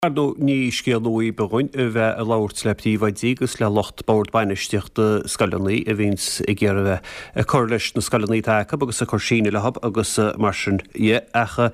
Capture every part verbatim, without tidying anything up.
Ar ndóigh, ní scéal nua ar bith dhúinn a bheith ag labhairt le príomhoidí agus le lucht bord bainistíochta scoileanna a bhíonns ag iarraidh a bheith ag cur leis na scoileanna atá acu agus ag cur síneadh leo agus mar sin dhe. Ach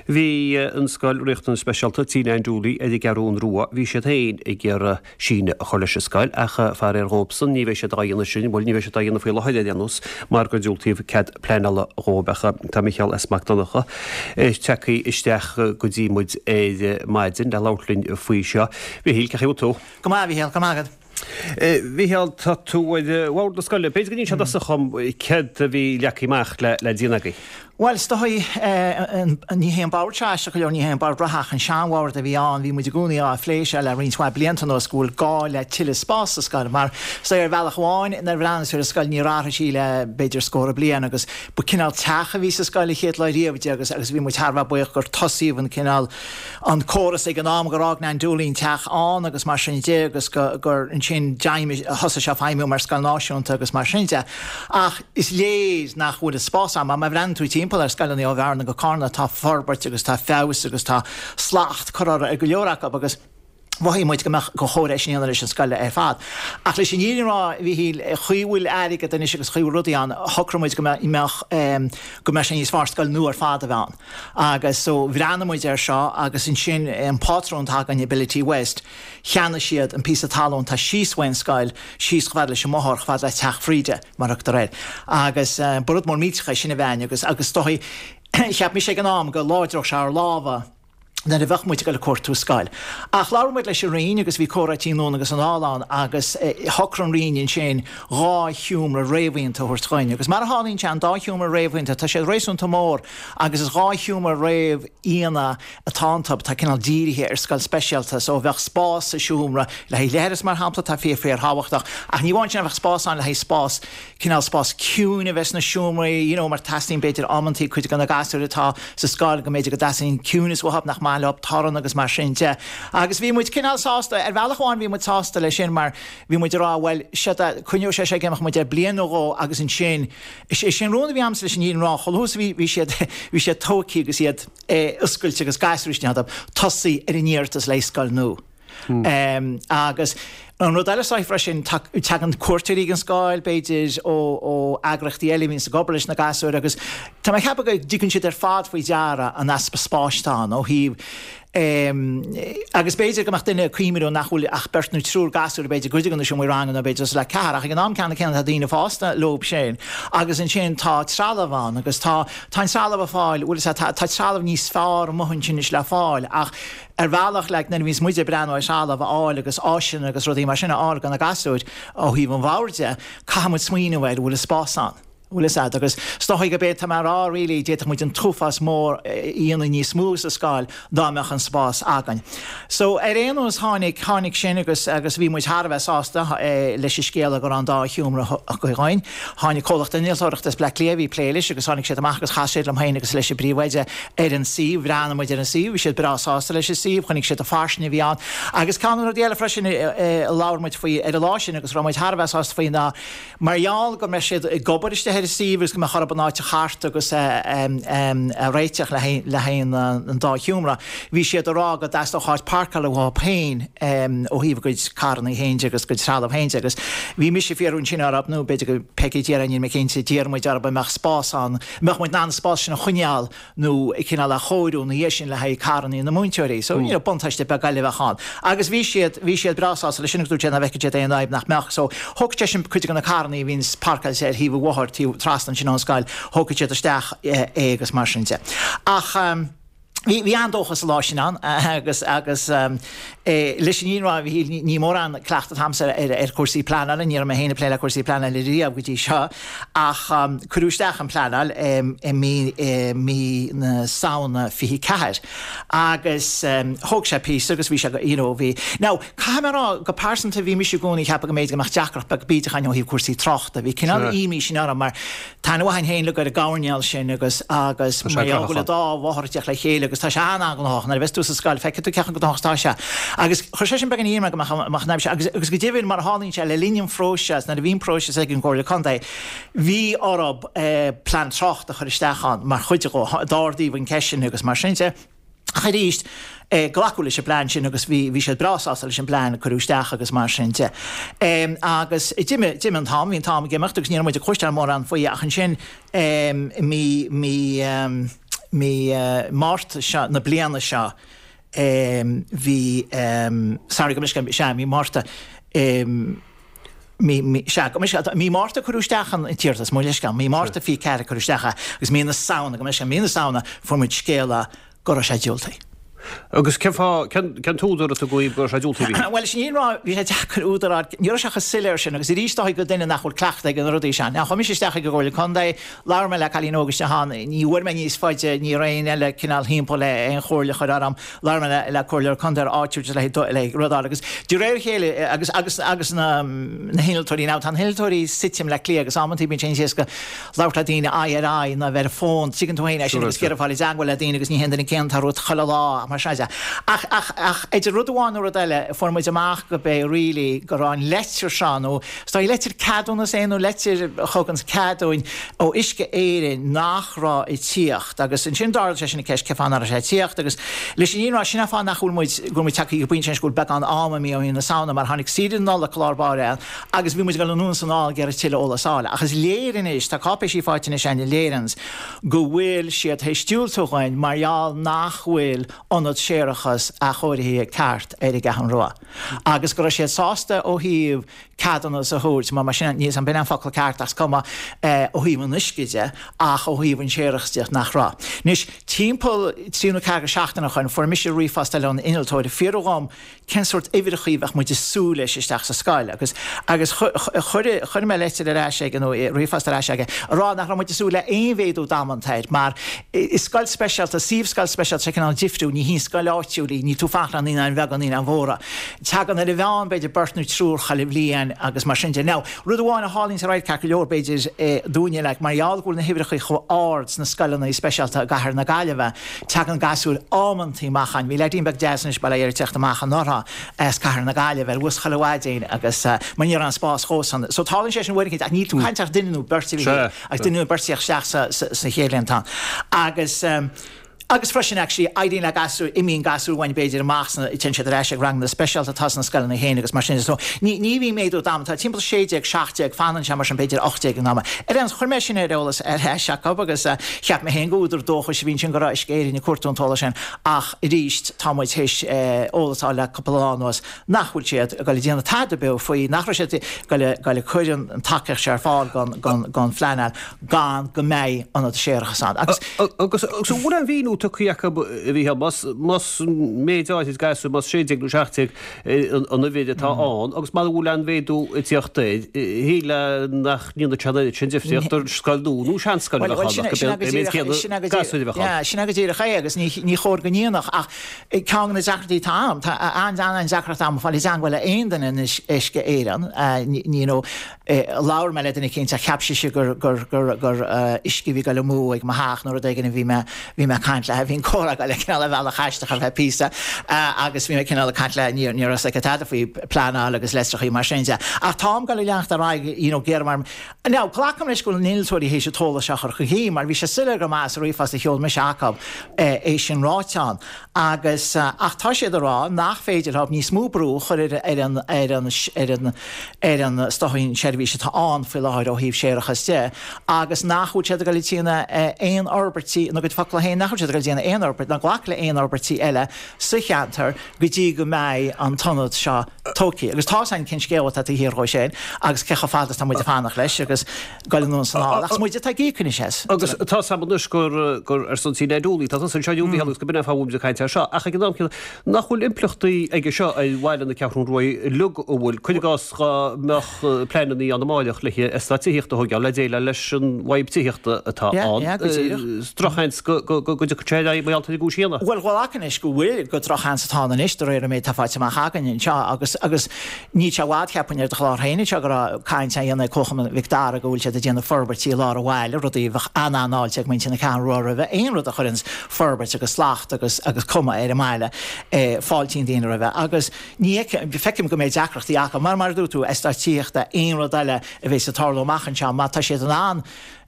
bhí an scoil riachtanas speisialta Tí Nan Dooley ar an gCeathrún Rua, bhí siad féin ag iarraidh síneadh a chur leis an scoil ach faraor dhóibhsan ní bheidh siad á dhéanamh sin, bhuel ní bheidh siad á dhéanamh faoi láthair ar aon nós mar gur diúltaíodh cead pleanála dhóibh. Ach tá Micheál S. Mac Donncha tagtha isteach go dtí muid ar maidin le labhairt linn faoi seo. Mhichíl, cén chaoi a bhfuil tú? Go maith, a Mhichíl, go maith agat. Mhichíl, tá tú ar bhord na scoile. B'fhéidir go n-inseofá i dtosach dhom céard a bhí leagtha amach le le déanamh agaibh. Bhuel, is dóigh, ní hé an bord seo aisteach go leor, ní hé an bord reatha ach an seanbhord a bhí ann, bhí muid i gcónaí á phlé seo le roinnt mhaith blianta anuas go bhfuil gá le tuilleadh spáis sa scoil mar is dóigh ar bhealach amháin nuair a bhreathnaíonn tú ar an scoil níor athraigh sí le b'fhéidir scór bliain agus ba cineál teach a bhí sa scoil an chéad lá riamh di agus agus bhí muid thar a bheith buíoch gur tosaíodh an cineál an córas ag an am gur fhág Nan Dooley an teach ann agus mar sin de agus go gur ansin d'fheidhmigh thosaigh sé feidhmiú mar scoil náisiúnta agus mar sin de. Ach is léir nach bhfuil an spás ann mar má bhreathnaíonn tú timpeall ar scoileanna ó Bhearna go Carna tá forbairt agus tá feabhas agus tá slacht curtha ar go leor acu agus mhothaigh muid go mbeadh gur chóir é sin a dhéanamh leis an scoil ar fad. Ach leis an fhírinne a rá, a Mhichíl, chaoi a bhfuil airgead anois agus chaoi a bhfuil rudaí ann, shocraigh muid go mbeadh go mbeadh sé níos fearr scoil nua ar fad a bheith ann. Agus so bhreathnaigh muid air seo agus ansin an pátrún atá againn, Ability West, cheannaigh siad an píosa talún atá síos uaidh an scoil, síos chomh fada leis an mbóthar, chomh fada le Teach Bhríde, mar a thugtar air. Agus ba rud mór millteach é sin a bheith ann agus agus is dóigh cheap mise ag an am go láidreodh sé ár lámha, nuair a bheadh muid ag dul ag cuartú scoil. Ach labhair muid leis an Roinn agus bhí comhráití anonn agus anall ann agus shocraigh an Roinn ansin dhá sheomra réamhdhéanta a thabhairt dhuinn. Agus mar a tharlaíonn sé, an dá sheomra réamhdhéanta, tá siad réasúnta mór agus is dhá sheomra réamhdhéanta atá iontu, atá cineál dírithe ar scoil speisialta. So bheadh spás sa seomra le haghaidh leithreas mar shampla, atá fíor fíor thábhachtach, ach ní amháin sin, bheadh spás ann le haghaidh spás, cineál spás ciúin a bheith sna seomraí, you know, mar teastaíonn b'fhéidir amantaí cuid de na gasúir atá sa scoil go mb'fhéidir go dteastaíonn ciúnas uathu, nach maith leo torann agus mar sin de. Agus bhí muid cineál sásta, ar bhealach amháin bhí muid sásta leis sin mar bhí muid ag rá bhuel, séard é, coinneoidh sé seo ag imeacht muid ar bliain nó dhó agus ansin, is é sin rún a bhí agamsa leis an fhírinne a rá, chomh luath is a bhí, bhí siad, bhí siad tógtha agus iad eh, oscailte agus gasúir istigh iontu, tosaí ar an iarratas le scoil nua. Agus an rud eile is freisin, tagann cuairteoirí ag an scoil, b'fhéidir, ó ó eagraíochtaí eile a bhíonns ag obair leis na gasúir agus tá mé ag ceapadh go dtuigeann siad ar fad faoi deara an easpa spáis atá ann ó thaobh agus b'fhéidir go mbeadh duine ag cuimhniú nach bhfuil ach beirt nó triúr gasúr b'fhéidir i gcuid de na seomraí ranga nó b'fhéidir suas le ceathrar ach ag an am ceanna céanna tá daoine fásta leo sin agus ansin tá trealamh ann agus tá tá an trealamh ar fáil bhfuil a fhios agat tá trealamh níos fearr amuigh ansin anois le fáil ach Ar bhealach, like, nuair a bhíonns muid ag breathnú ar threalamh a fháil agus áiseanna agus rudaí mar sin a fháil do na gasúir ó thaobh an bhoird de, caithfidh muid smaoineamh air, bhfuil an spás ann? Bhfuil fhios agat? Agus is dóigh gurb é atá mé a rá really, d'fhéadfadh muid an t-uafás mór a dhéanamh níos mó sa scoil dá mbeadh an spás againn. So, ar aon nós, tháinig, tháinig sin agus, agus bhí muid thar a bheith sásta leis an scéala go raibh an dá sheomra tugtha dhúinn. Tháinig comhlacht innealtóireachta as Bleá Cliath a bhí ag plé leis agus tháinig siad amach agus chas siad liom féin agus leis an bpríomhoide ar an suíomh. Bhreathnaigh muid ar an suíomh, bhí siad breá sásta leis an suíomh, chonaic siad an fairsinge a bhí ann. Agus ceann de na rudaí eile freisin a labhair muid faoi ar an lá sin agus a raibh muid thar a bheith sásta faoi ná mar gheall go mbeidh siad ag obair istigh ar an suíomh agus go mbeadh orthu an áit a chartadh agus a réiteach le haghaidh an dá sheomra, bhí siad ag rá go dteastódh áit páirceála uathu féin ó thaobh a gcuid carranna féin de agus a gcuid trealamh féin de agus bhí mise ag fiafraí ansin orthu, nó b'fhéidir go Peggy a d'iarr é, níl mé cinnte, d'iarr muid orthu an mbeadh spás ann, an mbeadh muid in ann an spás sin a choinneáil nó cineál a chóiriú ina dhiaidh sin le haghaidh carranna na múinteoirí. So, you know, buntáiste beag eile a bheadh ann. Agus bhí siad, bhí siad breá sásta leis sin agus dúirt siad nach bhfeicfeadh siad aon fhadhb nach mbeadh. So, thógfadh sé sin cuid de na carranna a bhíonns páirceáilte ar thaobh an bhóthair, taobh trasna ansin ón scoil, thógfadh siad isteach é agus mar sin de. Ach, bhí, bhí an-dóchas an lá sin ann agus, agus, Leis an fhírinne a rá, a Mhichíl, ní mórán cleachtadh atá agamsa ar chúrsaí pleanála, ní raibh mé féin ag plé le cúrsaí pleanála riamh go dtí seo, ach cuireadh isteach an pleanáil i mí na Samhna fiche ceathair agus thóg sé píosa agus bhí sé, you know, bhí. Now, caithfidh mé a rá, go pearsanta, bhí mise i gcónaí ag ceapadh go mb'fhéidir go mbeadh deacracht beag bídeach ann ó thaobh cúrsaí tráchta, bhí cineál imní sin orm mar, Tá aithne mhaith againn féin uilig ar an gcoirnéal sin agus agus mar gheall go bhfuil an dá bhóthar ag teacht le chéile agus tá sé an-an-ghnóthach. Nuair a bheas tú sa scoil feicfidh tú cé chomh gnóthach is atá sé. Agus chuir sé sin beagán imní orm go mbeadh an fhadhb seo agus agus go deimhin mar a tharlaíonn sé le linn an phróiseas nuair a bhí an próiseas ag an gComhairle Contae bhí orthu plean tráchta a chur isteach ann mar chuid de. D'ardaíodh an ceist sin agus mar sin de. Ach arís, glacadh leis an bplean sin agus bhí bhí siad breá sásta leis an bplean a cuireadh isteach agus mar sin de. Agus d'imigh d'imigh an t-am, bhí an t-am ag imeacht agus ní raibh muid ag cloisteáil mórán faoi ach ansin mí mí mí Márta seo na bliana seo bhí sorry go mbeidh sea mí Márta mí mí sea go mbeidh mí Márta cuireadh isteach an t-iarratas mo leithscéal mí Márta fiche ceathair cuireadh isteach é agus mí na Samhna go mbeidh mí na Samhna fuair muid scéala go raibh sé diúltaithe. Agus cén fáth, cén t-údar a tugadh go raibh sé diúltaithe? Bhuel, sin ní raibh, bhí sé deacair údar a fháil, ní raibh sé chomh soiléir sin agus arís dóigh go duine nach bhfuil cleachtadh ag na rudaí seo. Now, chuaigh mise isteach ag an gComhairle Contae, labhair mé le cailín óg isteach ann, ní bhfuair mé níos faide, ní raibh aon eile cineál thimpeall le aon chomhairle a chur orm, labhair mé le le comhairleoir contae áitiúil just le le rud a fháil agus de réir a chéile agus agus agus na na hinnealtóirí, now tá na hinnealtóirí suite i mBleá Cliath agus amantaí bíonn sé níos éasca labhairt le daoine aghaidh ar aghaidh ná bheith ar fón, tuigeann tú féin é sin agus ag iarraidh fáil i dteangmháil le daoine agus ní haon duine céanna atá romhat chuile lá mar sin de. Ach, ach, ach idir rud amháin nó rud eile, fuair muid amach go bé really go raibh an leitir seo nó is dóigh leitir ceadúnas é nó leitir a thugann cead dúinn ó Uisce Éireann nach raibh ag tíocht agus ansin d'ardaigh sé sin an ceist cén fáth nach raibh sé ag tíocht agus leis an fhírinne a rá sin an fáth nach bhfuil muid go bhfuil muid tagtha go pointe anois go bhfuil beagán ama imithe ó mhí na Samhna mar tháinig saoire na Nollag i lár báire ann agus bhí muid ag dul anonn is anall ag iarraidh tuilleadh eolas a fháil. Ach is léir anois, tá cáipéisí faighte anois againn a léiríonns go bhfuil siad théis diúltú dhúinn mar gheall nach bhfuil ionad séarachais athchóirithe ceart ar an gCeathrú Rua. Agus go raibh siad sásta ó thaobh ceadúnas a thabhairt, mar mar sin, níl 's a'm b'in an focal ceart ach is cuma, ó thaobh an uisce de ach ó thaobh an séarachais de nach raibh. Anois, timpeall trí nó ceathair seachtaine ó shoin, fuair mise ríomhphost eile ón innealtóir ag fiafraí dhom cén sórt uimhreachaí a bheadh muid ag súil leis isteach sa scoil agus agus chuir chuir mé leitir ar ais aige nó ríomhphost ar ais aige a rá nach raibh muid ag súil le aon mhéadú damanta air mar is scoil speisialta, suíomh scoil speisialta sé cineál difriúil, ní hí scoil áitiúil í, níl tú ag fanacht le naíonáin bheaga, naíonáin mhóra. Tagann ar an mheán b'fhéidir beirt nó triúr chuile bhliain agus mar sin de. Now, rud amháin a tharlaíonn ar aghaidh ceart go leor b'fhéidir dúinne like mar gheall go bhfuil na huimhreachaí chomh ard sna scoileanna speisialta i gcathair na Gaillimhe, tagann gasúir amantaí amach ann. Bhí leaidín beag deas anois bail ó Dhia air ag teacht amach anuraidh as cathair na Gaillimhe ar bhus chuile mhaidin agus mar ní raibh an spás dhósan. So tarlaíonn sé sin uair éicint ach níl tú ag caint ach duine nó beirt a bhí ach duine nó beirt ag teacht isteach sa sa chéad líontán. Agus Agus freisin actually éiríonn le gasúir, imíonn gasúir uainn b'fhéidir amach sna, téann siad ar ais ag ranganna speisialta atá sna scoileanna féin agus mar sin de. So ní, ní bhíonn méadú damanta, tá timpeall sé déag, seacht déag, fanann sé mar sin b'fhéidir ocht déag in am. Ar aon nós, chuir mé sin ar eolas ar ais acu agus cheap mé féin go údar dóchais a bhí ansin go raibh Uisce Éireann ag cuartú an t-eolas sin ach arís tá muid théis eolas a fháil le cúpla lá anuas nach bhfuil siad ag dul ag déanamh tada beo faoi, nach raibh siad ag dul ag cur an tacaíocht seo ar fáil don, don, don phleanáil gan go mbeidh ionad séarachais ann. Agus. Agus an bhfuil aon mhíniú tugtha acu, a Mhícheáil, más, más méid áirid gasúr, más sé déag nó seacht déag an uimhir atá ann, agus mara bhfuil aon mhéadú ag tíocht air, shílfeá nach ndéanfadh sé an oiread sin difríocht do scoil nua nó seanscoil a bheadh ann, ach go mbeadh an méid céanna gasúir a bheadh ann. Sin é go díreach é, agus ní, ní chóir go ndéanfadh, ach ceann de na deacrachtaí atá ann, tá an-an-deacracht agam fáil i dteangmháil le aon duine in Uisce Éireann, you know, labhair mé le duine éicint ach cheap sise gur gur gur gur uisce a bhí ag dul amú ag mo theach nó rud éigin a bhí mé bhí mé ag caint léi. Bhí an comhrá ag dul cineál ar bhealach aisteach ar feadh píosa agus bhí mé cineál ag caint léi ní ní raibh a fhios aici tada faoi pleanáil agus leictreachaí mar sin de. Ach táim ag dul ag leanacht ar aghaidh you know géar mar Now glacaim leis go bhfuil na hinnealtóirí théis an t-eolas seo a chur chun cinn mar bhí sé soiléir go maith sa ríomhphost a sheol mise acu é sin ráite ann. Agus, ach tá siad ag rá nach féidir leo níos mó brú a chur ar ar an ar an ar an ar an is dóigh an seirbhís atá ann faoi láthair ó thaobh séarachas de agus nach bhfuil siad ag dul ag déanamh aon fhorbairtí, ina gcuid focla féin, nach bhfuil siad ag dul ag déanamh aon fhorbairt ná glacadh le aon fhorbairtí eile sa cheantar go dtí go mbeidh an t-ionad seo tógtha. Agus tá's againn cén scéal atá taobh thiar dhó sin agus cé chomh fada is atá muid ag fanacht leis agus dul anonn is anall. Ach is muide atá ag íoc anois as. Agus tá's agam anois gur gur ar son C N Dooley atá tusa anseo inniu, a Mhícheáil, agus go b'in an fáth a bhfuil muid ag caint air seo. Ach ag an am céanna, nach bhfuil impleachtaí aige seo ar bhaile na Ceathrún Rua uilig, an bhfuil, cuir i gcás dhá mbeadh pleananna ann amáireach le eastát tithíochta a thógáil le déileáil leis an bhfadhb tithíochta atá ann. Drochsheans go dtiocfadh sé ar aghaidh mar gheall ar an gcúis chéanna. Bhuel, glacaim leis go bhfuil, gur drochsheans atá ann anois de réir an méid atá faighte amach againn anseo agus agus níl sé i bhfad, cheapfainn, ar do chlár féin anseo go raibh caint á dhéanamh ag Comharchumann Mhic Dara go bhfuil siad ag déanamh forbairtí i lár an bhaile, rudaí a bheadh an-an-fháilte ag muintir na Ceathrún Rua roimhe, aon rud a chuireanns forbairt agus slacht agus agus cuma ar an mbaile, fáiltíonn daoine roimhe agus ní feicim go mbeidh deacrachtaí acu mar mar a dúirt tú, eastát tithíochta, aon rud eile a bheas ag tarlú amach anseo má tá siad in ann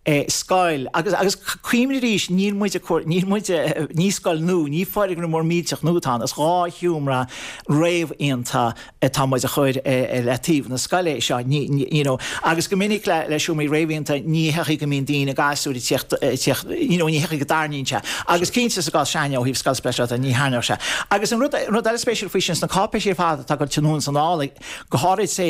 scoil agus agus cuimhnigh arís níl muid níl muid ní scoil nua ní foirgneamh mór millteach nua atá ann is dhá sheomra réamhdhéanta atá muid a chur le taobh na scoile seo you know agus go minic le le seomraí réamhdhéanta ní hé go mbíonn daoine gasúir teacht you know ní hé go dtarraingíonn sé agus cinnte sa gcás seo ó thaobh scoil speisialta ní tharraingeodh sé agus an rud rud eile spéisiúil faoi sin sna cáipéisí ar fad atá go anonn is anall go háirid sé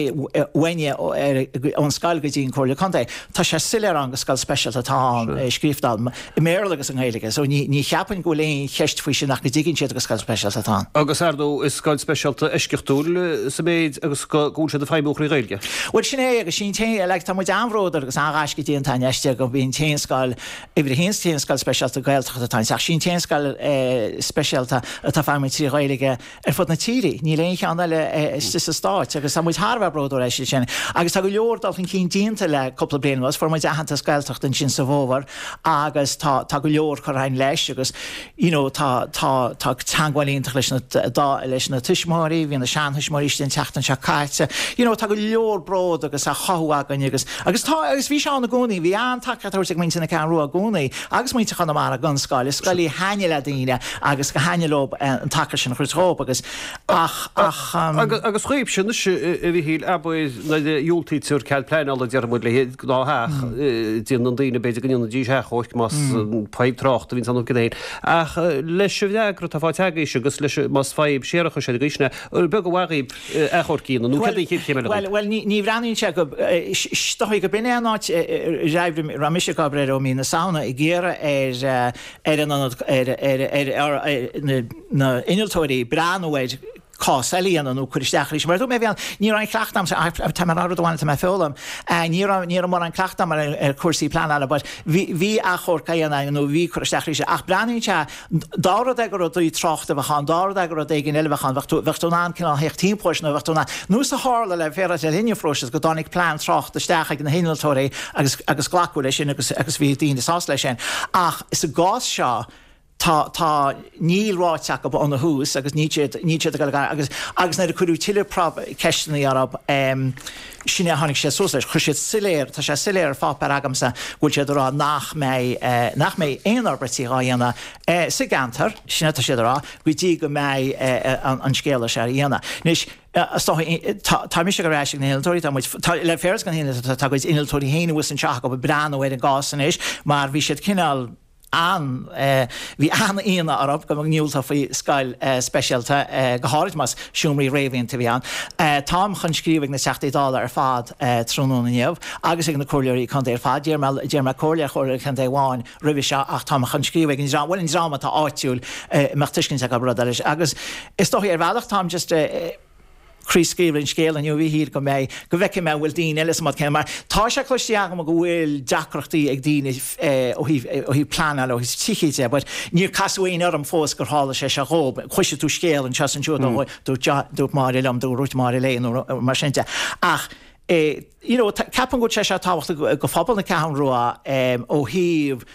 uainne ón scoil go dtí an Comhairle Contae tá sé soiléir ann gur scoil speisialta atá ann scríofa ann i mBéarla agus i nGaeilge, so ní ní cheapaim go bhfuil aon cheist faoi sin ach go dtuigeann siad gur scoil speisialta atá ann. Agus ar ndóigh is scoil speisialta eisceachtúil sa méid agus go bhfuil siad ag feidhmiú trí Ghaeilge. Bhuel sin é agus sin é like, tá muid an-bhródúil agus an-ghaisce déanta anois go bhí an t-aon scoil uimhir a haon t-aon scoil speisialta Gaeltachta atá ann ach sin t-aon scoil eh, speisialta atá ag feidhmiú trí Ghaeilge ar fud na tíre. Níl aon cheann eile eh, sa stát agus tá muid thar a bheith bródúil as sin. Agus tá go leor dul chun cinn déanta le cúpla bliain anuas, fuair muid aitheantas Gaeltacht ansin sa bhfómhar agus tá tá go leor curtha leis agus you know, tá tá tá teagmháil iontach leis na dá leis na tuismitheoirí, bhí na seantuismitheoirí an tseachtain seo caite. You know, tá go leor bród agus a chothú againn agus agus tá agus bhí sé ann i gcónaí, bhí an-tacaíocht ag muintir na Ceathrún Rua i gcónaí agus muintir Chonamara don scoil, is scoil í a thaitníonn le daoine agus go thaitníonn leo an tacaíocht sin chur dhóibh agus ach ach um, Agus agus chuimse a Mhichíl abair nuair a dhiúltaítear cead pleanála déarfaidh muid le gnáth déanann daoine b'fhéidir go ndéanfaidís achomharc más fadhb tráchta a bhíonn ann go dtéann. Ach leis an bhfreagra atá faighte agaibhse agus leis más fadhb séarachais ar gcuisne, beag a bhagaibh achomharc a dhéanamh nó cad é an chéad chéim eile Well, well ní, ní bhreathnaíonn sé go stoí go binne an áit ra mise go ó mí na Samhna ag iarraidh ar ar an ar ar ar ar na na innealtóirí breathnú ar cás eile a dhéanamh nó cur isteach arís. Mar dúirt mé bhí ní raibh aon chleachtadh agam tá mar rud amháin tá mé foghlaim ní raibh ní raibh mórán cleachtadh agam ar ar cúrsaí pleanála, but bhí bhí achomharc á dhéanamh nó bhí cur isteach arís ach breathnaíonn sé dá rud é go rudaí tráchta a bheadh ann, dá rud é go rud éigin eile bheadh ann, bheadh tú bheadh tú in ann cineál theacht timpeall nó bheadh tú in ann nós a tharla le féar le linn an phróisis go dtáinig plean tráchta isteach ag na hinnealtóirí agus agus glacadh leis sin agus agus bhí daoine sásta leis sin. Ach sa gcás seo tá tá níl ráite acu óna thús agus ní siad ní siad ag agus agus nuair a cuireadh tuilleadh ceisteanna orthu um, sin a tháinig sé suas leis chuir siad soiléir tá sé soiléir ar pháipéar agamsa bhfuil siad ag rá nach mbeidh eh, nach mbeidh aon fhorbairtí á dhéanamh eh, sa gceantar sin atá siad ag rá go dtí go mbeidh eh, an, an scéal seo á dhéanamh. Anois tá tá mise ag rá ag na hinnealtóirí tá muid tá le féar gan hinnealtóirí tá cuid innealtóirí féin thuas anseo ag breathnú ar an gcás anois mar bhí siad cineál an bhí an-ionadh orthu go ndiúltófaí scoil speisialta go háirid más seomraí réamhdhéanta a bhí ann. Táim chun scríobh ag na Teachtaí Dála ar fad tráthnóna inniu agus ag na comhairleoirí contae ar fad d'iarr mé d'iarr mé comhairle ar chomhairleoir contae amháin roimhe seo ach táim chun scríobh ag an dream bhuel an dream atá áitiúil mbeadh tuiscint acu rud eile agus is dóigh ar bhealach táim just craobhscaoileadh an scéal inniu bhí go mbeidh go bhfeicfidh mé bhfuil daoine eile sa céanna mar tá sé cloiste agam go bhfuil deacrachtaí ag daoine ó thaobh ó thaobh pleanáil ó thaobh tithe de, but níor casadh éinne orm fós gur tharla sé seo dhóibh. Cloisfidh tú scéal anseo is ansiúd ó dúirt dúirt Máire liom dúirt Máire léi nó mar sin de. Ach eh, you know, ceapaim go bhfuil sé seo tábhachtach go phobal na Ceathrún Rua ó thaobh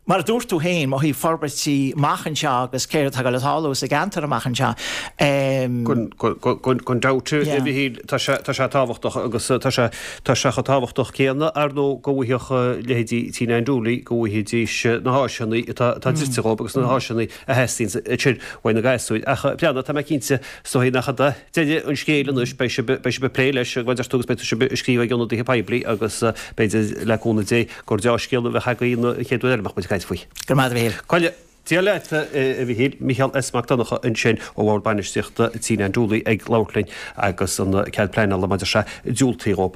Mar a dúirt tú féin ó thaobh forbairtí amach anseo agus céard atá le tarlú sa gceantar amach anseo. Gan dabht a Mhichíl tá sé tábhachtach agus tá sé tá sé chomh tábhachtach céanna ar ndóigh go bhfaigheadh leithéidí T nine Dooley go bhfaighidís na háiseanna atá atá dlite dhóibh agus na háiseanna a theastaíonn ansin uaidh na gasúir. Ach breathnaigh tá mé cinnte is dóigh nach fada deireadh an scéil anois beidh sibh beidh sibh ag plé leis mar a deir tú agus beidh sibh ag scríobh ag ionadaithe poiblí agus b'fhéidir le cúnamh Dé gur dea-scéal a bheadh againn an chéad uair eile a mbeadh muid ag caint faoi. Go raibh maith agat a Mhichíl. Coille, Dia leat a Mhichíl, Micheál S. Mac Donncha ansin ó Bhord Bainistíochta T nine Dooley ag labhairt linn agus an cead pleanála maidir sé diúltaithe dhóibh.